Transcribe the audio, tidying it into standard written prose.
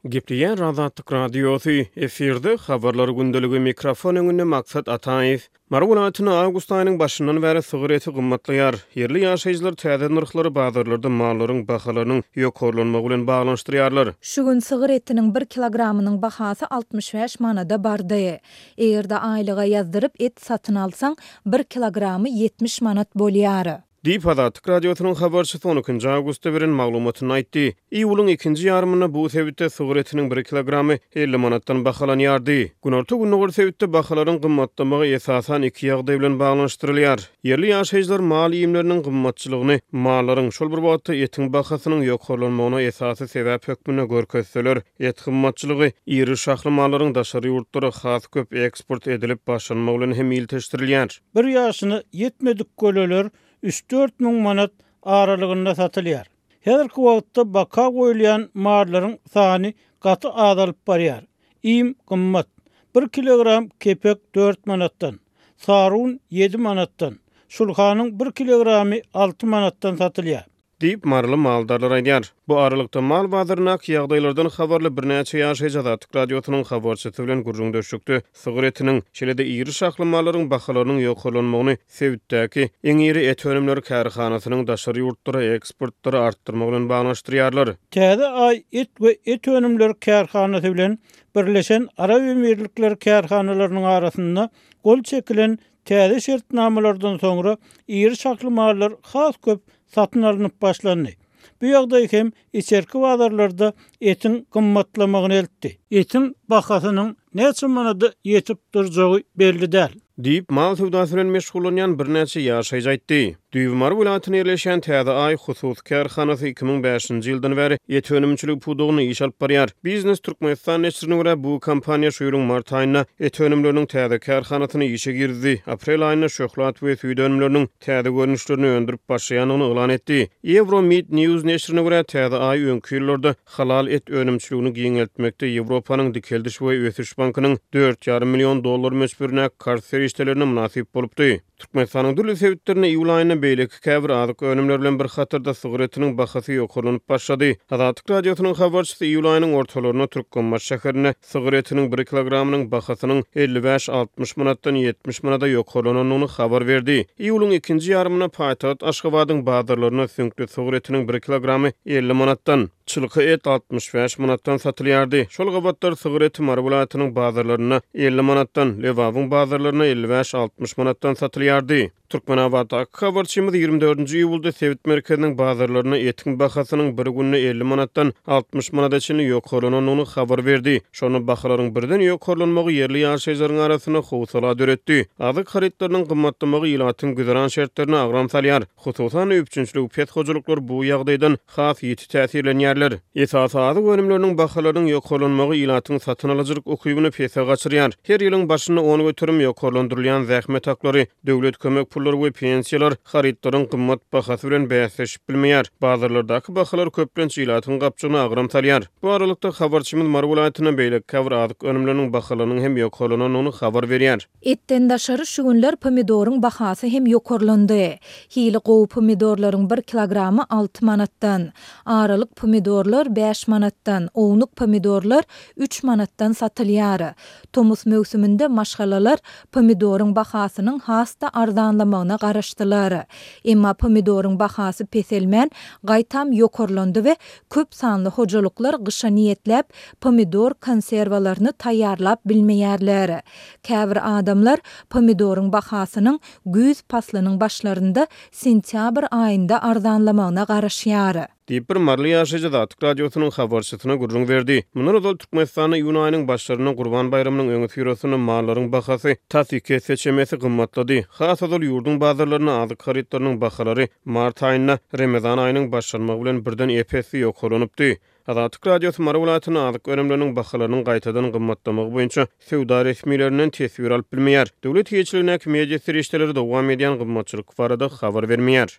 Gepleýär Azatlyk Radiosy, efirde Habarlar gündeligi, mikrofon öňünde Maksat Ataýew. Mary welaýatynda awgust aýynyň başyndan bäri sygyr eti gymmatlaýar. Ýerli ýaşaýjylar täze nyrhlary bazarlarda mallaryň bahalarynyň ýokarlanmagy bilen baglanyşdyrýarlar. Şu gün sygyr etiniň bir kilogramynyň bahasy 65 manada bardy. Eger-de aýlyga ýazdyryp et satyn alsaň, bir kilogramy 70 manat bolýar. Diýip, Azatlyk Radiosynyň habarçysy on ikinji awgustda beren maglumatynda aýtdy. Iýulyň ikinji ýarymynda bu sebitde sygyr etiniň bir kilogramy 50 manatdan bahalanýardy. Günorta-gündogar sebitde bahalaryň gymmatlamagy esasan iki ýagdaý bilen baglanyşdyrylýar. Ýerli ýaşaýjylar mal iýmleriniň gymmatçylygyny mallaryň, şol bir wagtda etiň bahasynyň ýokarlanmagyna esasy sebäp hökmünde görkezseler, et gymmatçylygy iri şahly mallaryň daşary ýurtlara has köp eksport edilip başlanmagy bilen hem ilteşdirilýär. Bir ýaşyna ýetmedik göleler üç-dört müň manat aralygynda satylýar. Häzirki wagtda baka goýulýan mallaryň sany gaty azalyp barýar. Iým gymmat. Bir kilogram kepek dört manatdan, sarun ýedi manatdan, şulhanyň bir kilogramy alty manatdan satylýar. Diýip, maryly maldarlar aýdýar. Bu aralykda, mal bazaryndaky ýagdaýlardan habarly birnäçe ýaşaýjy Azatlyk Radiosynyň habarçysy bilen gürrüňdeşlikde sygyr etiniň, şeýle-de iri şahly mallaryň bahalarynyň ýokarlanmagyny sebitdäki iň iri et önümleri kärhanasynyň daşary ýurtlara eksportlary artdyrmagy bilen baglanyşdyrýarlar. Täze Aý et we et önümleri kärhanasy bilen Birleşen Arap Emirlikleri kärhanalarynyň arasynda gol çekilen Täze şertnamalardan soňra iri şahly mallar has köp satyn alnyp başlandy. Bu ýagdaý hem içerki bazarlarda etiň gymmatlamagyna eltdi. Etiň bahasynyň näçe manada ýetip durjagy belli däl. Diýip, mal söwdasy bilen meşgullanýan birnäçe ýaşaýjy aýtdy. Düýbi Mary welaýatynda ýerleşýän Täze Aý hususy kärhanasy 2005-nji ýyldan bäri et önümçiligi pudagynda iş alyp barýar. Biznes Türkmenistan neşirine görä, bu kompaniýa şu ýylyň mart aýynda et önümleriniň täze kärhanasyny işe girizdi, aprel aýynda şöhlat we süýt önümleriniň täze görnüşlerini öndürip başlaýandygyny yglan etdi. Euro Meat News neşirine görä, Täze Aý öňki ýyllarda halal et önümçiligini giňeltmekde Ýewropanyň Dikeldiş we ösüş bankynyň dört ýarym million dollar möçberindäki karz serişdelerine mynasyp bolupdy. Türkmenistanyň dürli sebitlerinde iýul aýynda beýleki käbir azyk önümleri bilen bir hatarda sygyr etiniň bahasy ýokarlanyp başlady. Azatlyk Radiosynyň habarçysy iýul aýynyň ortalarynda Türkmenbaşy şäherinde sygyr etiniň bir kilogramynyň bahasynyň 55-60 manatdan 70 manada ýokarlanandygyny habar berdi. Iýulyň ikinji ýarymynda paýtagt Aşgabadyň bazarlarynda süňkli sygyr etiniň bir kilogramy 50 manatdan, Çylka et 65 manatdan satylýardy. Şol gabatlar sygyr eti Mary welaýatynyň bazarlarynda 50 manatdan, Lebabyň bazarlarynda 55-60 manatdan satylýardy. Türkmenabatdaky habarçymyz ýigrimi dördünji iýulda sebit merkeziniň bazarlarynda etiň bahasynyň bir günde 50 manatdan 60 manada çenli ýokarlanandygyny habar berdi. Şonda bahalaryň birden ýokarlanmagy ýerli ýaşaýjylaryň arasynda howsala döretdi. Azyk harytlarynyň gymmatlamagy ilatyň güzeran şertlerine agram salýar. Hususan-da, üpjünçiligi pes hojalyklar bu ýagdaýdan has ýiti täsirlenýärler. Esasy azyk önümleriniň bahalarynyň ýokarlanmagy ilatyň satyn alyjylyk ukybyny pese gaçyrýar. Her ýylyň başynda 10% ýokarlandyrylýan zähmet haklary, döwlet kömek pullary we pensiýalar harytlaryň gymmat bahasy bilen bäsleşip bilmeýär. Bazarlardaky bahalar köplenç ilatyň gapjygyna agram salýar. Bu aralykda, habarçymyz Mary welaýatynda beýleki käbir azyk önümleriniň bahalarynyň hem ýokarlanandygyny habar berýär. Etden daşary şu günler pomidoryň bahasy hem ýokarlandy. Hili gowy pomidorlaryň bir kilogramy alty manatdan, aralyk pomidorlar bäş manatdan, ownuk pomidorlar üç manatdan satylýar. Tomus möwsüminde maşgalalar pomidoryň bahasynyň has-da arzanlamagyna garaşdylar. Emma pomidoryň bahasy peselmän, gaýtam ýokarlandy we köp sanly hojalyklar gyşa niýetläp pomidor konserwalaryny taýýarlap bilmeýärler. Käbir adamlar pomidoryň bahasynyň güýz paslynyň başlarynda sentýabr aýynda arzanlamagyna garaşýar. Diýip, bir maryly ýaşaýjy Azatlyk Radiosynyň habarçysyna gürrüň berdi. Mundan ozal Türkmenistanda iýun aýynyň başlarynda Gurban baýramynyň öňüsyrasynda mallaryň bahasy tas iki esse çemesi gymmatlady. Has ozal ýurduň bazarlarynda azyk harytlarynyň bahalary mart aýynda Remezan aýynyň başlanmagy bilen birden ep-esli ýokarlanypdy. Azatlyk Radiosy Mary welaýatynda azyk önümleriniň bahalarynyň gaýtadan gymmatlamagy boýunça söwda resmilerinden teswir alyp bilmeýär. Döwlet eýeçiligindäki media serişdeleri dowam edýän gymmatçylyk barada habar bermeýär.